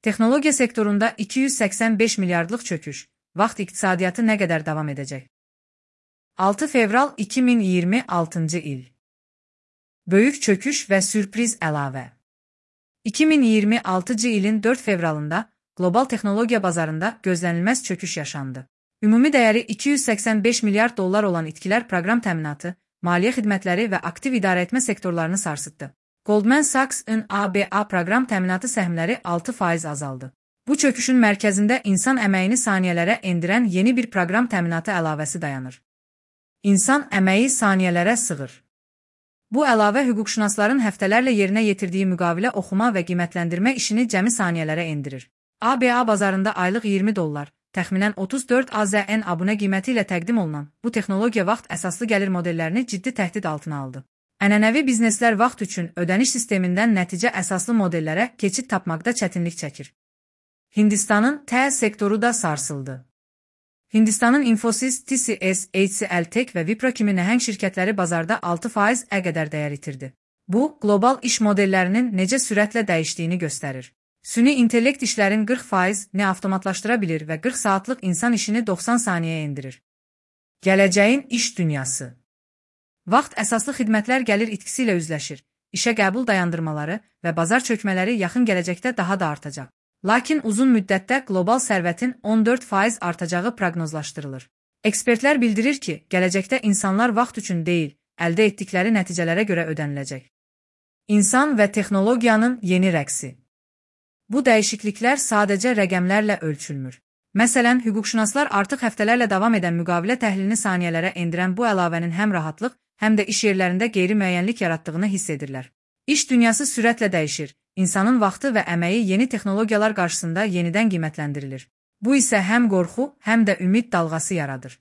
Texnologiya sektorunda 285 milyardlıq çöküş. Vaxt iqtisadiyyatı nə qədər davam edəcək? 6 fevral 2026 il. Böyük çöküş və sürpriz əlavə. 2026 ilin 4 fevralında qlobal texnologiya bazarında gözlənilməz çöküş yaşandı. Ümumi dəyəri 285 milyard dollar olan itkilər proqram təminatı, maliyyə xidmətləri və aktiv idarəetmə sektorlarını sarsıtdı. Goldman Sachs-ın ABA proqram təminatı səhmləri 6% azaldı. Bu çöküşün mərkəzində insan əməyini saniyələrə endirən yeni bir proqram təminatı əlavəsi dayanır. İnsan əməyi saniyələrə sığır. Bu əlavə hüquqşünasların həftələrlə yerinə yetirdiyi müqavilə oxuma və qiymətləndirmə işini cəmi saniyələrə endirir. ABA bazarında aylıq 20 dollar, təxminən 34 AZN abunə qiyməti ilə təqdim olunan bu texnologiya vaxt əsaslı gəlir modellərini ciddi təhdid altına aldı. Ənənəvi bizneslər vaxt üçün ödəniş sistemindən nəticə əsaslı modellərə keçid tapmaqda çətinlik çəkir. Hindistanın TE sektoru da sarsıldı. Hindistanın Infosys, TCS, HCL Tech və Wipro kimi nəhəng şirkətləri bazarda 6%-ə qədər dəyər itirdi. Bu, qlobal iş modellərinin necə sürətlə dəyişdiyini göstərir. Süni intellekt işlərin 40%-ni avtomatlaşdıra bilir və 40 saatlıq insan işini 90 saniyəyə endirir. Gələcəyin iş dünyası. Vaxt əsaslı xidmətlər gəlir itkisi ilə üzləşir, işə qəbul dayandırmaları və bazar çökmələri yaxın gələcəkdə daha da artacaq. Lakin uzun müddətdə qlobal sərvətin 14% artacağı proqnozlaşdırılır. Ekspertlər bildirir ki, gələcəkdə insanlar vaxt üçün deyil, əldə etdikləri nəticələrə görə ödəniləcək. İnsan və texnologiyanın yeni rəqsi. Bu dəyişikliklər sadəcə rəqəmlərlə ölçülmür. Məsələn, hüquqşünaslar artıq həftələrlə davam edən müqavilə təhlilini saniyələrə endirən bu əlavənin həm rahatlıq, həm də iş yerlərində qeyri-müəyyənlik yaratdığını hiss edirlər. İş dünyası sürətlə dəyişir, insanın vaxtı və əməyi yeni texnologiyalar qarşısında yenidən qiymətləndirilir. Bu isə həm qorxu, həm də ümid dalğası yaradır.